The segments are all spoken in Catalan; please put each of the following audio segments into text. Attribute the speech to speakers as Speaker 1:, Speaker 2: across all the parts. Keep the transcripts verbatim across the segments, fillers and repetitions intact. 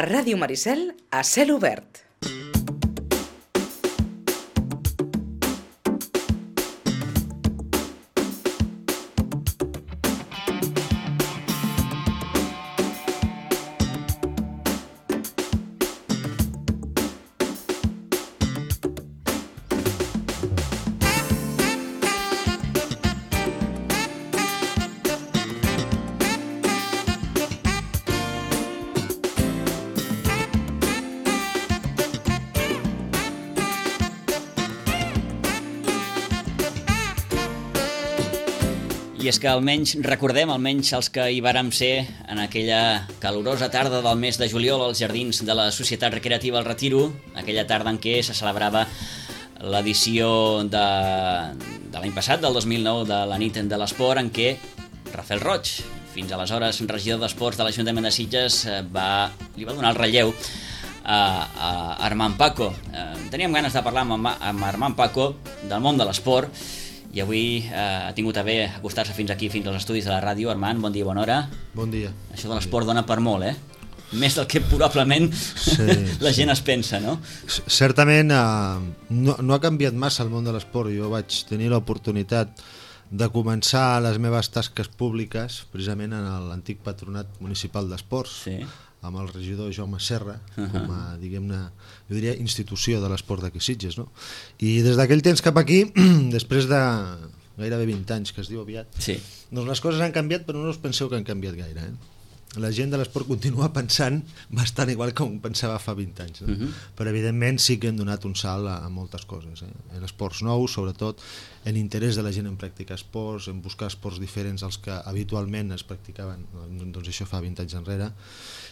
Speaker 1: A Ràdio Maricel, a cel obert.
Speaker 2: I és que almenys recordem, almenys els que hi vàrem ser en aquella calorosa tarda del mes de juliol als jardins de la Societat Recreativa El Retiro, aquella tarda en què se celebrava l'edició de, de l'any passat, del dos mil nou, de la nit de l'esport, en què Rafael Roig, fins aleshores regidor d'Esports de l'Ajuntament de Sitges, va, li va donar el relleu a, a Armand Paco. Teníem ganes de parlar amb, amb Armand Paco del món de l'esport, i avui eh, ha tingut a bé acostar-se fins aquí, fins als estudis de la ràdio. Armand, bon dia, bona hora.
Speaker 3: Bon dia.
Speaker 2: Això de l'esport dona per molt, eh? Més del que probablement sí, la gent sí. es pensa, no?
Speaker 3: Certament eh, no, no ha canviat massa el món de l'esport. Jo vaig tenir l'oportunitat de començar les meves tasques públiques precisament en l'antic patronat municipal d'esports, sí. amb el regidor Jaume Serra, uh -huh. com a, diguem-ne, jo diria, institució de l'esport d'aquí Sitges, no? I des d'aquell temps cap aquí, després de gairebé vint anys, que es diu aviat, sí. doncs les coses han canviat, però no us penseu que han canviat gaire, eh? La gent de l'esport continua pensant bastant igual com pensava fa vint anys, no? Uh -huh. Però evidentment sí que hem donat un salt a, a moltes coses, eh? En esports nous, sobretot en interès de la gent en practicar esports, en buscar esports diferents als que habitualment es practicaven, doncs això fa vint anys enrere,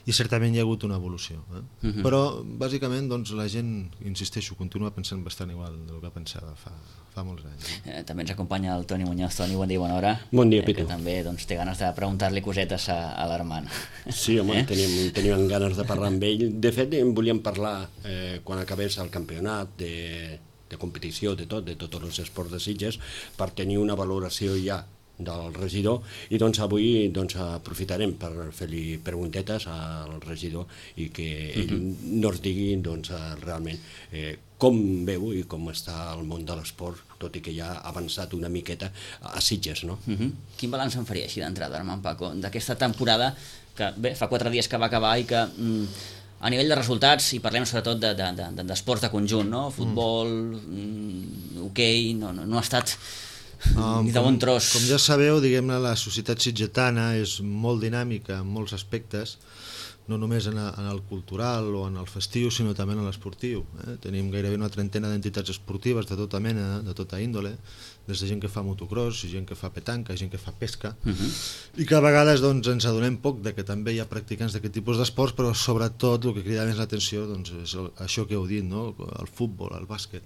Speaker 3: i certament hi ha hagut una evolució, eh? Uh -huh. Però bàsicament doncs, la gent, insisteixo, continua pensant bastant igual del que pensava fa, fa molts anys.
Speaker 2: Eh, també ens acompanya el Toni Muñoz. Toni, bon dia, bona hora.
Speaker 4: Bon dia,
Speaker 2: eh,
Speaker 4: Pitu.
Speaker 2: Que també doncs, té ganes de preguntar-li cosetes a, a l'Armand.
Speaker 4: Sí, home, eh? teníem, teníem ganes de parlar amb ell. De fet, en volíem parlar eh, quan acabés el campionat de, de competició, de tot, de tots els esports de Sitges, per tenir una valoració ja del regidor, i doncs avui doncs, aprofitarem per fer-li preguntetes al regidor i que ell uh-huh. no ens digui doncs, realment eh, com veu i com està el món de l'esport, tot i que ja ha avançat una miqueta a Sitges, no?
Speaker 2: Uh-huh. Quin balanç en faria així d'entrada, Armand Paco, d'aquesta temporada que, bé, fa quatre dies que va acabar i que mm, a nivell de resultats, i parlem sobretot d'esports de, de, de, de conjunt, no? Futbol, mm, hoquei, no, no, no ha estat
Speaker 3: um,
Speaker 2: ni de bon tros.
Speaker 3: Com, com ja sabeu, diguem-ne, la societat sitgetana és molt dinàmica en molts aspectes, no només en, a, en el cultural o en el festiu, sinó també en l'esportiu. Eh? Tenim gairebé una trentena d'entitats esportives de tota mena, de tota índole, des de gent que fa motocross, gent que fa petanca, gent que fa pesca, uh-huh. i que a vegades doncs, ens adonem poc de que també hi ha practicants d'aquest tipus d'esports, però sobretot el que crida més l'atenció doncs, és el, això que heu dit, no? El futbol, el bàsquet.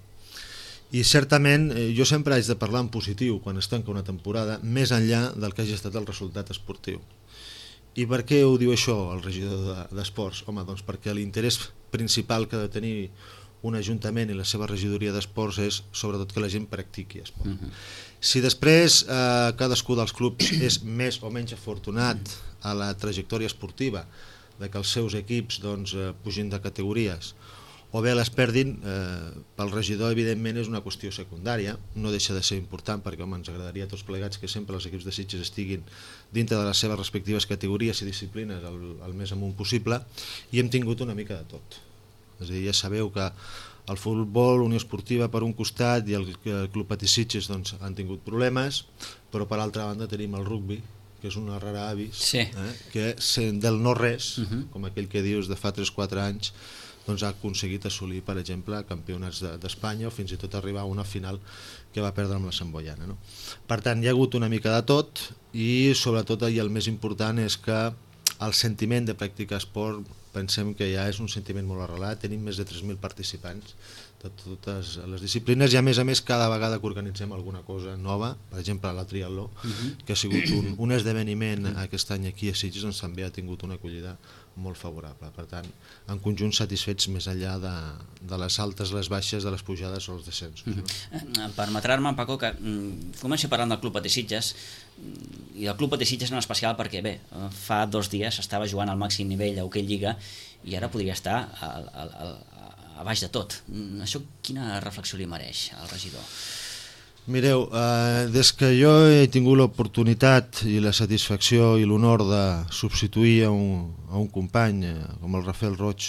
Speaker 3: I certament eh, jo sempre haig de parlar en positiu quan es tanca una temporada, més enllà del que hagi estat el resultat esportiu. I per què ho diu això el regidor d'Esports? Home, doncs perquè l'interès principal que ha de tenir un ajuntament i la seva regidoria d'esports és sobretot que la gent practiqui esport. Uh-huh. Si després eh, cadascú dels clubs és més o menys afortunat a la trajectòria esportiva de que els seus equips doncs, eh, pugin de categories o bé les perdin, eh, pel regidor evidentment és una qüestió secundària, no deixa de ser important perquè home, ens agradaria a tots plegats que sempre els equips de Sitges estiguin dintre de les seves respectives categories i disciplines el, el més amunt possible, i hem tingut una mica de tot. És a dir, ja sabeu que el futbol, Unió Esportiva per un costat i el, el Club Patí Sitges doncs, han tingut problemes, però per altra banda tenim el rugbi, que és una rara avis, sí. eh, que del no res, uh-huh. com aquell que dius de fa tres o quatre anys, doncs ha aconseguit assolir, per exemple, campionats d'Espanya, o fins i tot arribar a una final que va perdre amb la Samboiana, no? Per tant, hi ha hagut una mica de tot, i sobretot i el més important és que el sentiment de practicar esport pensem que ja és un sentiment molt arrelat. Tenim més de tres mil participants de totes les disciplines, i a més a més cada vegada que organitzem alguna cosa nova, per exemple la triatló, uh-huh. que ha sigut un, un esdeveniment aquest any aquí a Sitges, doncs també ha tingut una acollida molt favorable. Per tant, en conjunt satisfets més enllà de, de les altes, les baixes, de les pujades o els descensos. No?
Speaker 2: Mm-hmm. Permetrar-me, Paco, que mm, comenci parlant del Club Patí Sitges, i del Club Patí Sitges en especial perquè, bé, fa dos dies estava jugant al màxim nivell a Hoquei Lliga i ara podria estar al, al, al, a baix de tot. Això quina reflexió li mereix al regidor?
Speaker 3: Mireu, eh, des que jo he tingut l'oportunitat i la satisfacció i l'honor de substituir a un, a un company eh, com el Rafael Roig,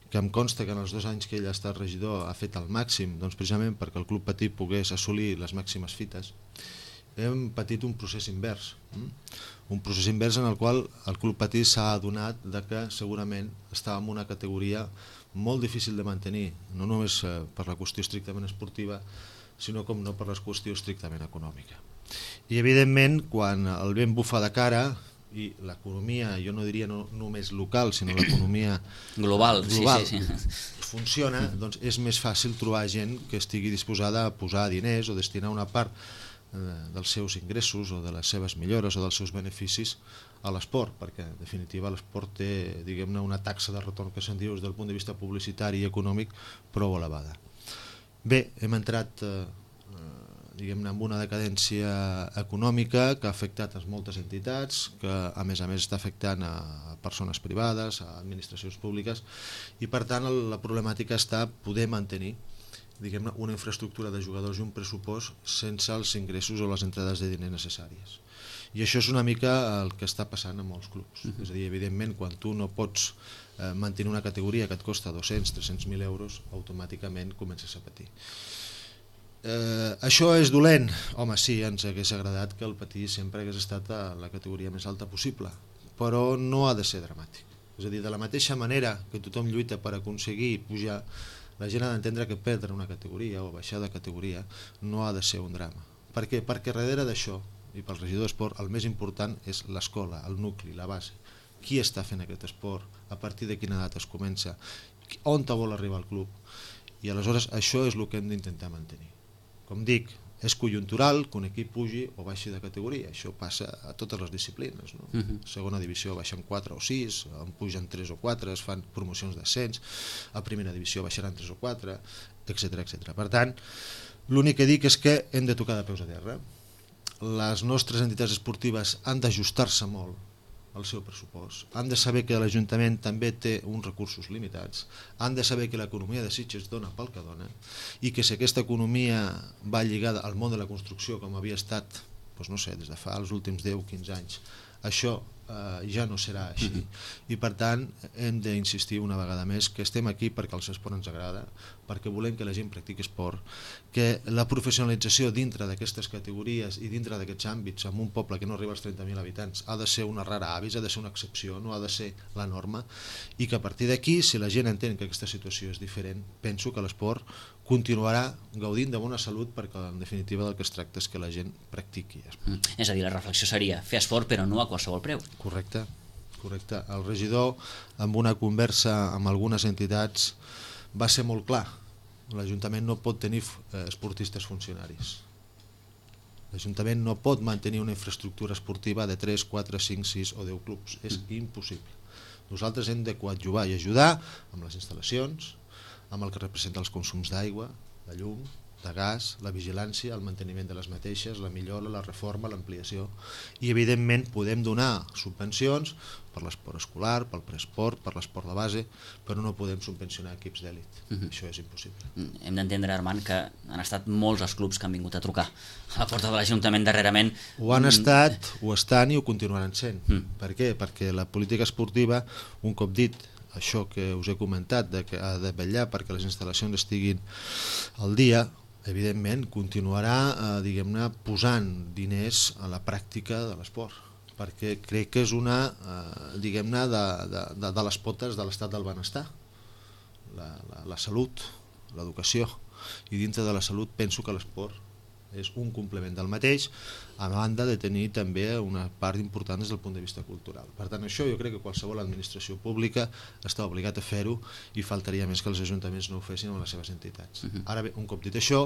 Speaker 3: que em consta que en els dos anys que ell ha estat regidor ha fet el màxim, doncs precisament perquè el Club Patí pogués assolir les màximes fites, hem patit un procés invers, hm? un procés invers en el qual el Club Patí s'ha adonat de que segurament estava en una categoria molt difícil de mantenir, no només eh, per la qüestió estrictament esportiva, sinó com no per la qüestió estrictament econòmica. I evidentment, quan el vent bufa de cara i l'economia, jo no diria no només local, sinó l'economia
Speaker 2: global,
Speaker 3: global
Speaker 2: sí, sí, sí.
Speaker 3: funciona, doncs és més fàcil trobar gent que estigui disposada a posar diners o destinar una part eh, dels seus ingressos o de les seves millores o dels seus beneficis a l'esport, perquè en definitiva l'esport té, diguem-ne, una taxa de retorn que se'n diu des del punt de vista publicitari i econòmic prou elevada. Bé, hem entrat eh, diguem-ne, amb una decadència econòmica que ha afectat a moltes entitats, que a més a més està afectant a persones privades, a administracions públiques, i per tant la problemàtica està poder mantenir, diguem-ne, una infraestructura de jugadors i un pressupost sense els ingressos o les entrades de diners necessàries. I això és una mica el que està passant a molts clubs. Uh-huh. És a dir, evidentment, quan tu no pots eh, mantenir una categoria que et costa dos-cents a tres-cents mil euros, automàticament comences a patir. Eh, això és dolent? Home, sí, ens hagués agradat que el Patí sempre hagués estat a la categoria més alta possible, però no ha de ser dramàtic. És a dir, de la mateixa manera que tothom lluita per aconseguir pujar, la gent ha d'entendre que perdre una categoria o baixar de categoria no ha de ser un drama. Per què? Perquè darrere d'això, i pel regidor d'esport, el més important és l'escola, el nucli, la base. Qui està fent aquest esport? A partir de quina edat es comença? On te vol arribar el club? I aleshores això és el que hem d'intentar mantenir. Com dic, és conjuntural que un equip pugi o baixi de categoria. Això passa a totes les disciplines. No? Uh-huh. Segona divisió baixen quatre o sis, en pugen tres o quatre, es fan promocions d'ascens, a primera divisió baixaran tres o quatre, etcètera etcètera. Per tant, l'únic que dic és que hem de tocar de peus a terra. Les nostres entitats esportives han d'ajustar-se molt al seu pressupost, han de saber que l'Ajuntament també té uns recursos limitats, han de saber que l'economia de Sitges dona pel que dona i que si aquesta economia va lligada al món de la construcció com havia estat, doncs no sé, des de fa els últims deu o quinze anys, això eh, ja no serà així. I per tant hem d'insistir una vegada més que estem aquí perquè el esport ens agrada, perquè volem que la gent practiqui esport, que la professionalització dintre d'aquestes categories i dintre d'aquests àmbits en un poble que no arriba als trenta mil habitants ha de ser una rara avis, ha de ser una excepció, no ha de ser la norma, i que a partir d'aquí, si la gent entén que aquesta situació és diferent, penso que l'esport continuarà gaudint de bona salut perquè en definitiva del que es tracta és que la gent practiqui esport.
Speaker 2: Mm. És a dir, la reflexió seria fer esport però no a qualsevol preu.
Speaker 3: Correcte, correcte. El regidor, amb una conversa amb algunes entitats, va ser molt clar. L'Ajuntament no pot tenir eh, esportistes funcionaris. L'Ajuntament no pot mantenir una infraestructura esportiva de tres, quatre, cinc, sis o deu clubs. És impossible. Nosaltres hem de coadjuvar i ajudar amb les instal·lacions, amb el que representa els consums d'aigua, de llum, de gas, la vigilància, el manteniment de les mateixes, la millora, la reforma, l'ampliació, i evidentment podem donar subvencions per l'esport escolar, pel preesport, per l'esport de base, però no podem subvencionar equips d'èlit. Uh-huh. Això és impossible.
Speaker 2: Hem d'entendre, Armand, que han estat molts els clubs que han vingut a trucar a la porta de l'Ajuntament darrerament.
Speaker 3: Ho han estat, ho estan i ho continuaran sent. Uh-huh. Per què? Perquè la política esportiva, un cop dit això que us he comentat, de que ha de vetllar perquè les instal·lacions estiguin al dia, evidentment continuarà eh, diguem-ne posant diners a la pràctica de l'esport, perquè crec que és una eh, diguem-ne de, de, de, de les potes de l'estat del benestar, la, la, la salut, l'educació, i dintre de la salut penso que l'esport és un complement del mateix, a banda de tenir també una part important des del punt de vista cultural. Per tant, això jo crec que qualsevol administració pública està obligat a fer-ho i faltaria més que els ajuntaments no ho fessin amb les seves entitats. Uh-huh. Ara bé, un cop dit això,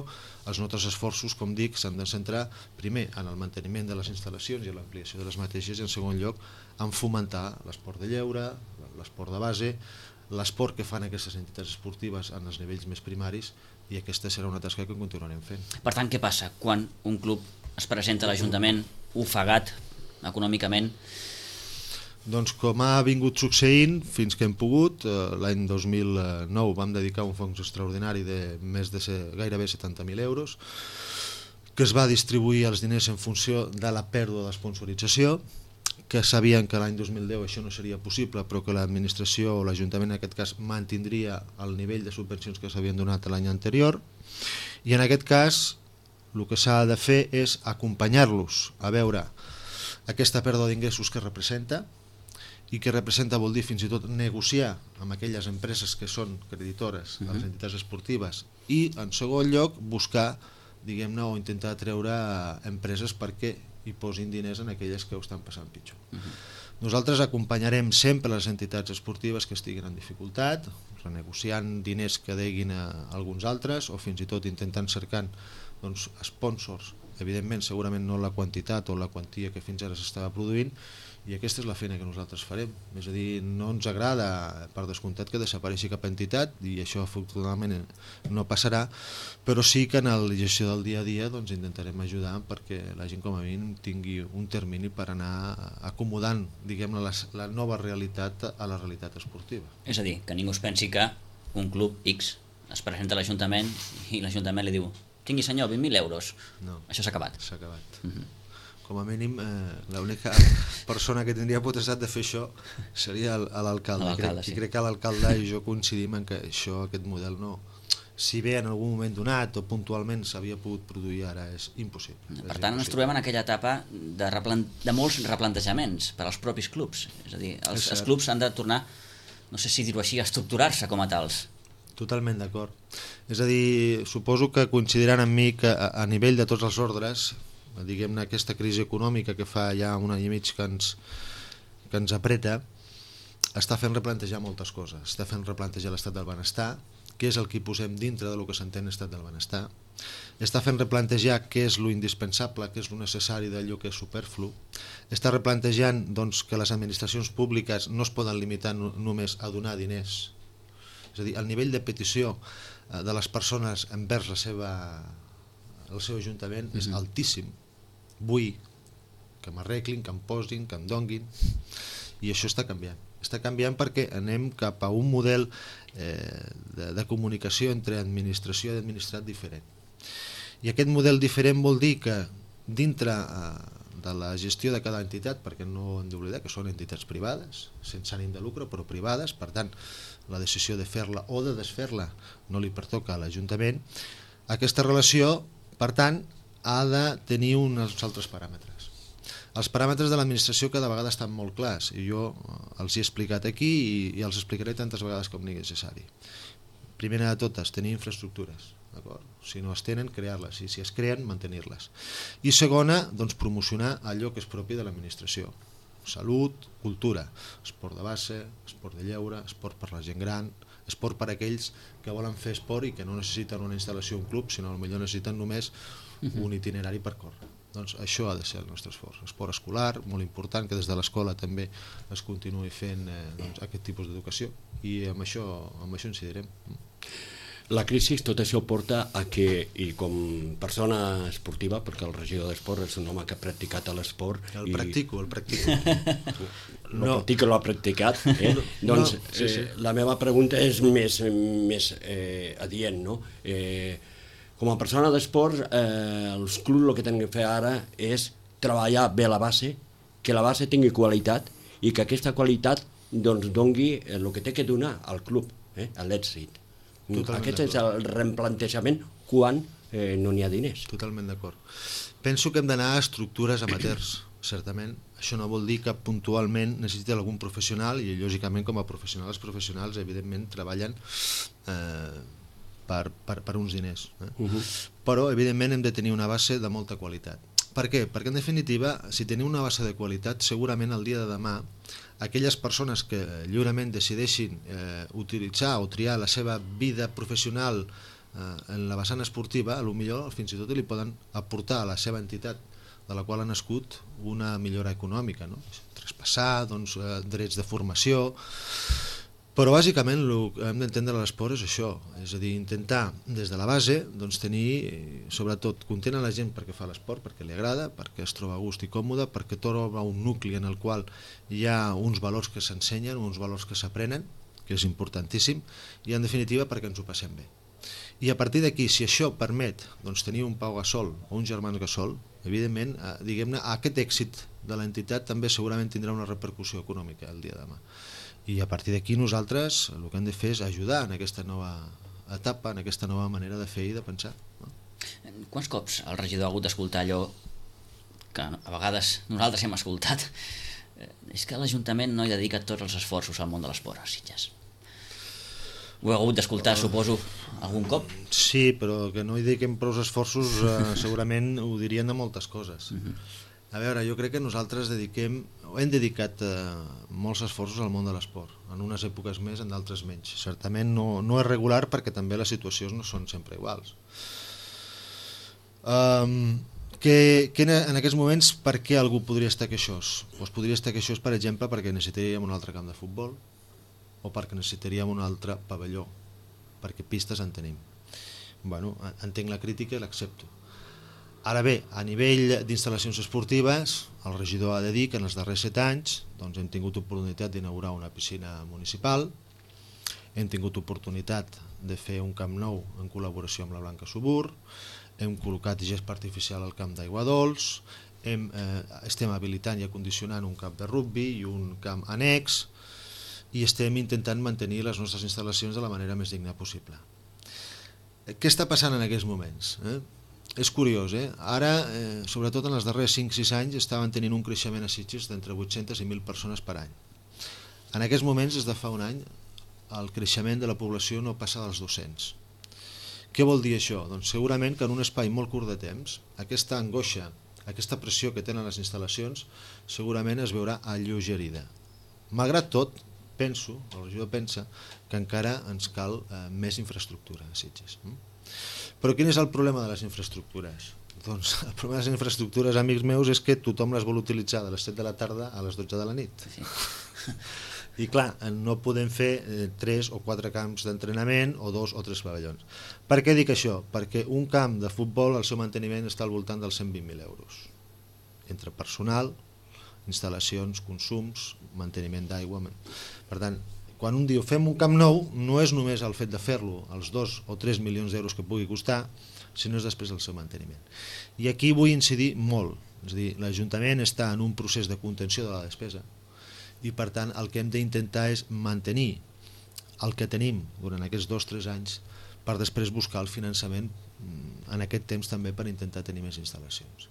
Speaker 3: els nostres esforços, com dic, s'han de centrar primer en el manteniment de les instal·lacions i en l'ampliació de les mateixes i en segon lloc en fomentar l'esport de lleure, l'esport de base, l'esport que fan aquestes entitats esportives en els nivells més primaris, i aquesta serà una tasca que continuarem fent.
Speaker 2: Per tant, què passa quan un club es presenta a l'Ajuntament ofegat econòmicament?
Speaker 3: Doncs com ha vingut succeint fins que hem pogut, l'any dos mil nou vam dedicar un fons extraordinari de més de gairebé setanta mil euros, que es va distribuir els diners en funció de la pèrdua d'esponsorització, que sabien que l'any dos mil deu això no seria possible, però que l'administració o l'Ajuntament en aquest cas mantindria el nivell de subvencions que s'havien donat l'any anterior, i en aquest cas el que s'ha de fer és acompanyar-los a veure aquesta pèrdua d'ingressos que representa, i que representa vol dir fins i tot negociar amb aquelles empreses que són creditores a les entitats esportives, i en segon lloc buscar, diguem-ne, o intentar treure empreses perquè i posin diners en aquelles que ho estan passant pitjor. Uh-huh. Nosaltres acompanyarem sempre les entitats esportives que estiguin en dificultat, renegociant diners que deguin a alguns altres, o fins i tot intentant cercant doncs, sponsors, evidentment segurament no la quantitat o la quantia que fins ara s'estava produint, i aquesta és la feina que nosaltres farem. És a dir, no ens agrada, per descomptat, que desapareixi cap entitat, i això afortunadament no passarà, però sí que en la gestió del dia a dia doncs, intentarem ajudar perquè la gent com a mínim tingui un termini per anar acomodant, diguem-ne, la, la nova realitat a la realitat esportiva.
Speaker 2: És a dir, que ningú es pensi que un club X es presenta a l'Ajuntament i l'Ajuntament li diu tingui senyor, vint mil euros.
Speaker 3: No.
Speaker 2: Això s'ha acabat.
Speaker 3: S'ha acabat.
Speaker 2: Uh-huh.
Speaker 3: Com a mínim, eh, l'única persona que tindria potestat de fer això seria l'alcalde.
Speaker 2: L'alcalde,
Speaker 3: I
Speaker 2: sí.
Speaker 3: crec que l'alcalde i jo coincidim en que això, aquest model no, si bé en algun moment donat o puntualment s'havia pogut produir, ara és impossible.
Speaker 2: Per tant, ens trobem en aquella etapa de, replan... de molts replantejaments per als propis clubs. És a dir, els, els clubs han de tornar, no sé si dir-ho així, a estructurar-se com a tals.
Speaker 3: Totalment d'acord. És a dir, suposo que coincidiran amb mi que a, a nivell de tots els ordres, diguem-ne, aquesta crisi econòmica que fa ja un any i mig que ens, que ens apreta, està fent replantejar moltes coses. Està fent replantejar l'estat del benestar, què és el que hi posem dintre del que s'entén estat del benestar. Està fent replantejar què és lo indispensable, què és lo necessari d'allò que és superflu. Està replantejant doncs, que les administracions públiques no es poden limitar no, només a donar diners. És a dir, el nivell de petició de les persones envers la seva, el seu ajuntament és uh-huh. altíssim. Vull que m'arreglin, que em posin, que em donguin, i això està canviant. Està canviant perquè anem cap a un model eh, de, de comunicació entre administració i administrat diferent. I aquest model diferent vol dir que dintre eh, de la gestió de cada entitat, perquè no hem d'oblidar que són entitats privades, sense ànim de lucre, però privades, per tant, la decisió de fer-la o de desfer-la no li pertoca a l'Ajuntament, aquesta relació, per tant, ha de tenir uns altres paràmetres. Els paràmetres de l'administració cada vegada estan molt clars, i jo els he explicat aquí i, i els explicaré tantes vegades com sigui necessari. Primera de totes, tenir infraestructures. Si no es tenen, crear-les, i si es creen, mantenir-les. I segona, doncs, promocionar allò que és propi de l'administració. Salut, cultura, esport de base, esport de lleure, esport per la gent gran, esport per a aquells que volen fer esport i que no necessiten una instal·lació, un club, sinó potser necessiten només un itinerari per córrer. Doncs això ha de ser el nostre esforç. Esport escolar, molt important, que des de l'escola també es continuï fent eh, doncs, aquest tipus d'educació, i amb això, amb això incidirem.
Speaker 4: La crisi, tot això porta a que, i com persona esportiva, perquè el regidor d'esport és un home que ha practicat l'esport...
Speaker 3: El
Speaker 4: i...
Speaker 3: practico, el practico.
Speaker 4: No, no practica, l'ha practicat. Eh? No, doncs no, sí, sí. Eh, la meva pregunta és més, més eh, adient, no? Eh, com a persona d'esport, eh, els clubs el que tenen que fer ara és treballar bé la base, que la base tingui qualitat i que aquesta qualitat doncs, dongui el que té que donar al club, eh, a l'èxit. Totalment Aquest és el replantejament quan eh, no n'hi ha diners.
Speaker 3: Totalment d'acord. Penso que hem d'anar a estructures amateurs, certament. Això no vol dir que puntualment necessiti algun professional, i lògicament com a professionals, professionals evidentment treballen eh, per, per, per uns diners. Eh? Uh-huh. Però evidentment hem de tenir una base de molta qualitat. Per què? Perquè en definitiva, si tenim una base de qualitat, segurament el dia de demà aquelles persones que lliurement decideixin eh, utilitzar o triar la seva vida professional eh, en la vessant esportiva, potser fins i tot li poden aportar a la seva entitat de la qual ha nascut una millora econòmica, no? traspassar, doncs, eh, drets de formació, però bàsicament el que hem d'entendre a l'esport és això, és a dir, intentar des de la base doncs, tenir, sobretot, content a la gent perquè fa l'esport, perquè li agrada, perquè es troba a gust i còmode, perquè troba un nucli en el qual hi ha uns valors que s'ensenyen, uns valors que s'aprenen, que és importantíssim, i en definitiva perquè ens ho passem bé. I a partir d'aquí, si això permet doncs, tenir un Pau Gasol o un Germán Gasol, evidentment, eh, diguem-ne, aquest èxit de l'entitat també segurament tindrà una repercussió econòmica el dia de demà. I a partir d'aquí nosaltres el que hem de fer és ajudar en aquesta nova etapa, en aquesta nova manera de fer i de pensar. No?
Speaker 2: Quants cops el regidor ha hagut d'escoltar allò que a vegades nosaltres hem escoltat? És que l'Ajuntament no hi dedica tots els esforços al món de l'esport a Sitges. Ho heu hagut d'escoltar, suposo, algun cop?
Speaker 3: Sí, però que no hi dediquem prou esforços eh, segurament ho dirien de moltes coses. Uh-huh. A veure, jo crec que nosaltres dediquem, o hem dedicat eh, molts esforços al món de l'esport, en unes èpoques més, en d'altres menys. Certament no, no és regular perquè també les situacions no són sempre iguals. Um, que, que en aquests moments per què algú podria estar queixós? Doncs podria estar queixós, per exemple, perquè necessitaríem un altre camp de futbol, o perquè necessitaríem un altre pavelló, perquè pistes en tenim. Bueno, entenc la crítica i l'accepto. Ara bé, a nivell d'instal·lacions esportives, el regidor ha de dir que en els darrers set anys doncs, hem tingut oportunitat d'inaugurar una piscina municipal, hem tingut oportunitat de fer un camp nou en col·laboració amb la Blanca Subur, hem col·locat gespa artificial al camp d'Aigua Dols, hem, eh, estem habilitant i acondicionant un camp de rugbi i un camp annex, i estem intentant mantenir les nostres instal·lacions de la manera més digna possible. Què està passant en aquests moments? Eh? És curiós, eh? Ara, eh, sobretot en els darrers cinc sis anys, estaven tenint un creixement a Sitges d'entre vuit-centes i mil persones per any. En aquests moments, des de fa un any, el creixement de la població no passa dels dos-cents. Què vol dir això? Doncs segurament que en un espai molt curt de temps, aquesta angoixa, aquesta pressió que tenen les instal·lacions, segurament es veurà alleugerida. Malgrat tot, penso, el regidor pensa, que encara ens cal eh, més infraestructura a Sitges. Però quin és el problema de les infraestructures? Doncs el problema de les infraestructures, amics meus, és que tothom les vol utilitzar de les set de la tarda a les dotze de la nit. Sí. I clar, no podem fer eh, tres o quatre camps d'entrenament o dos o tres pavellons. Per què dic això? Perquè un camp de futbol, el seu manteniment està al voltant dels cent vint mil euros. Entre personal, instal·lacions, consums, manteniment d'aigua. Per tant, quan un diu fem un camp nou, no és només el fet de fer-lo, els dos o tres milions d'euros que pugui costar, sinó és després el seu manteniment. I aquí vull incidir molt, és a dir, l'Ajuntament està en un procés de contenció de la despesa i per tant el que hem d'intentar és mantenir el que tenim durant aquests dos o tres anys per després buscar el finançament en aquest temps també per intentar tenir més instal·lacions.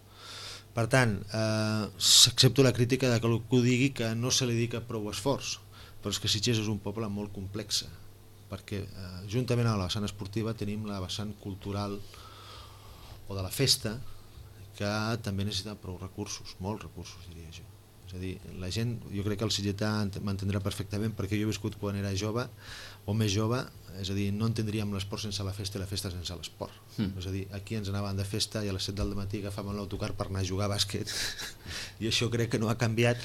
Speaker 3: Per tant, eh, accepto la crítica de que algú digui que no se li dedica prou esforç, però és que Sitges és un poble molt complex, perquè eh, juntament amb la vessant esportiva tenim la vessant cultural o de la festa, que també necessita prou recursos, molts recursos diria jo. És a dir, la gent, jo crec que el sitgetà m'entendrà perfectament perquè jo he viscut quan era jove o més jove, és a dir, no entendríem l'esport sense la festa i la festa sense l'esport. Mm. És a dir, aquí ens anàvem de festa i a les set del matí agafàvem l'autocar per anar a jugar a bàsquet i això crec que no ha canviat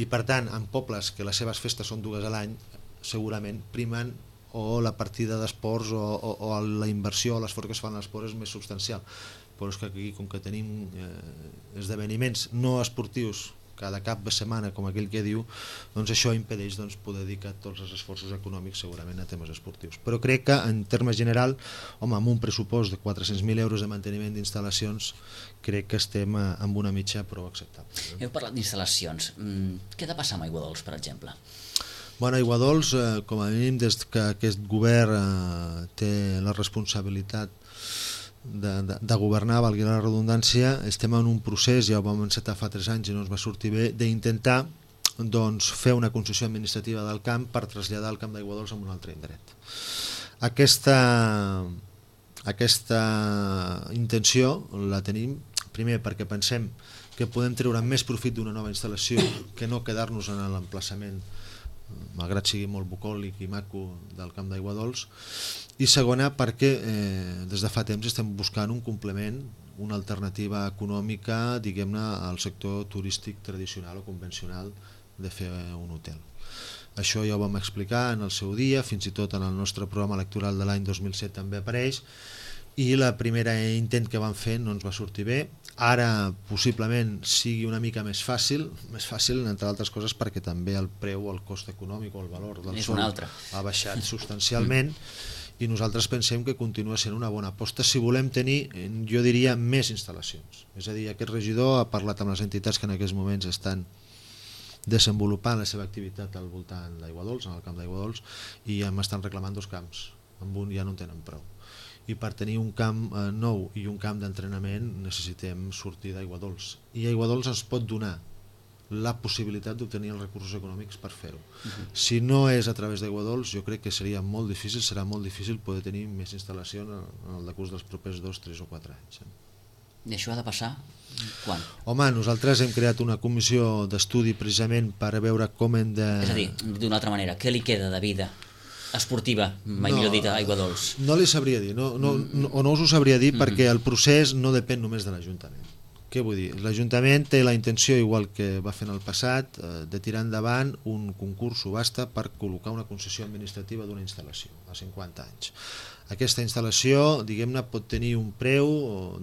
Speaker 3: i per tant, en pobles que les seves festes són dues a l'any, segurament primen o la partida d'esports o, o, o la inversió o l'esforç que es fa en l'esport és més substancial, però és que aquí com que tenim eh, esdeveniments no esportius cada cap de setmana, com aquell que diu, doncs això impedeix doncs, poder dedicar tots els esforços econòmics segurament a temes esportius. Però crec que en termes general, home, amb un pressupost de quatre-cents mil euros de manteniment d'instal·lacions, crec que estem amb una mitja prou acceptable.
Speaker 2: Heu parlat d'instal·lacions. Què ha de passar amb Aigua Dols, per exemple?
Speaker 3: Bueno, Aigua Dols, eh, com a mínim, des que aquest govern eh, té la responsabilitat De, de, de governar, valgui la redundància, estem en un procés, ja ho vam encetar fa tres anys i no ens va sortir bé, d'intentar doncs, fer una concessió administrativa del camp per traslladar el camp d'Aigua Dols a un altre indret. Aquesta, aquesta intenció la tenim, primer perquè pensem que podem treure més profit d'una nova instal·lació que no quedar-nos en l'emplaçament, malgrat sigui molt bucòlic i maco, del camp d'Aigua Dols, i segona perquè eh, des de fa temps estem buscant un complement, una alternativa econòmica, diguem-ne, al sector turístic tradicional o convencional de fer un hotel. Això ja ho vam explicar en el seu dia, fins i tot en el nostre programa electoral de l'any dos mil set també apareix, i la primera intent que vam fer no ens va sortir bé. Ara possiblement sigui una mica més fàcil, més fàcil entre altres coses perquè també el preu, el cost econòmic o el valor del sòl ha baixat substancialment, i nosaltres pensem que continua sent una bona aposta si volem tenir, jo diria, més instal·lacions. És a dir, aquest regidor ha parlat amb les entitats que en aquests moments estan desenvolupant la seva activitat al voltant d'Aiguadols, en el camp d'Aiguadols, i ja m'estan reclamant dos camps, amb un ja no en tenen prou. I per tenir un camp eh, nou i un camp d'entrenament necessitem sortir d'Aiguadols, i Aiguadols ens pot donar la possibilitat d'obtenir els recursos econòmics per fer-ho. Uh-huh. Si no és a través d'Aiguadols, jo crec que seria molt difícil, serà molt difícil poder tenir més instal·lació en el decurs dels propers dos, tres o quatre anys.
Speaker 2: I això ha de passar quan?
Speaker 3: Home, nosaltres hem creat una comissió d'estudi precisament per veure com hem de...
Speaker 2: És a dir, d'una altra manera, què li queda de vida esportiva, mai no, millor dit, a Aiguadols?
Speaker 3: No li sabria dir, no, no, no, o no us ho sabria dir, mm-hmm. perquè el procés no depèn només de l'Ajuntament. Què vull dir? L'Ajuntament té la intenció, igual que va fer en el passat, de tirar endavant un concurs subhasta per col·locar una concessió administrativa d'una instal·lació a cinquanta anys. Aquesta instal·lació, diguem-ne, pot tenir un preu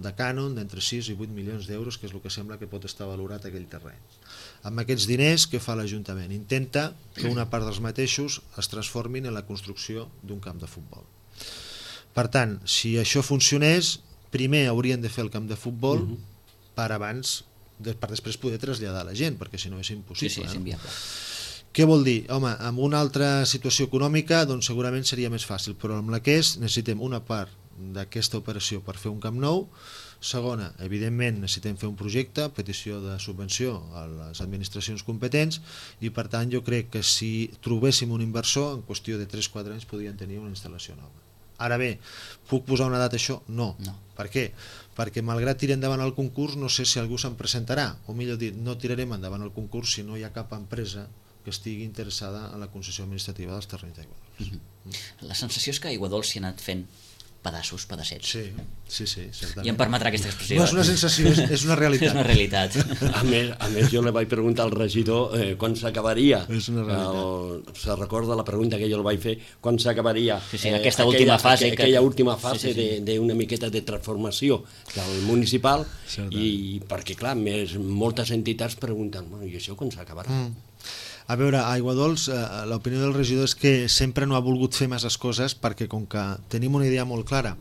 Speaker 3: de cànon d'entre sis i vuit milions d'euros, que és el que sembla que pot estar valorat aquell terreny. Amb aquests diners, què fa l'Ajuntament? Intenta que una part dels mateixos es transformin en la construcció d'un camp de futbol. Per tant, si això funcionés, primer haurien de fer el camp de futbol uh-huh. per abans, per després poder traslladar la gent, perquè si no és impossible.
Speaker 2: Sí, sí, és inviable.
Speaker 3: No? Què vol dir? Home, amb una altra situació econòmica doncs segurament seria més fàcil, però amb la que és necessitem una part d'aquesta operació per fer un camp nou. Segona, evidentment necessitem fer un projecte, petició de subvenció a les administracions competents, i per tant jo crec que si trobéssim un inversor, en qüestió de tres o quatre anys podrien tenir una instal·lació nova. Ara bé, puc posar una data a això? No.
Speaker 2: no.
Speaker 3: Per què? Perquè malgrat tirar endavant el concurs no sé si algú se'n presentarà, o millor dit, no tirarem endavant el concurs si no hi ha cap empresa que estigui interessada en la concessió administrativa dels terrenys d'Aiguadols.
Speaker 2: Mm-hmm. La sensació és que Aiguadols s'hi ha anat fent pedassos, pedassets.
Speaker 3: Sí, sí, sí, certament.
Speaker 2: I em permetrà aquesta expressió.
Speaker 3: No és una sensació, és, és una realitat.
Speaker 2: És una realitat.
Speaker 4: A més, a més jo li vaig preguntar al regidor eh, quan s'acabaria.
Speaker 3: És una realitat.
Speaker 4: El, se recorda la pregunta que jo li vaig fer, quan s'acabaria
Speaker 2: sí, sí, aquesta
Speaker 4: eh,
Speaker 2: última
Speaker 4: aquella,
Speaker 2: fase.
Speaker 4: Aquella
Speaker 2: que...
Speaker 4: última fase
Speaker 2: sí, sí, sí.
Speaker 4: d'una miqueta de transformació del municipal,
Speaker 3: Certament.
Speaker 4: i perquè clar, més, moltes entitats pregunten, bueno, i això quan s'acabarà?
Speaker 3: Mm. A veure, a Aiguadols eh, l'opinió del regidor és que sempre no ha volgut fer masses coses perquè com que tenim una idea molt clara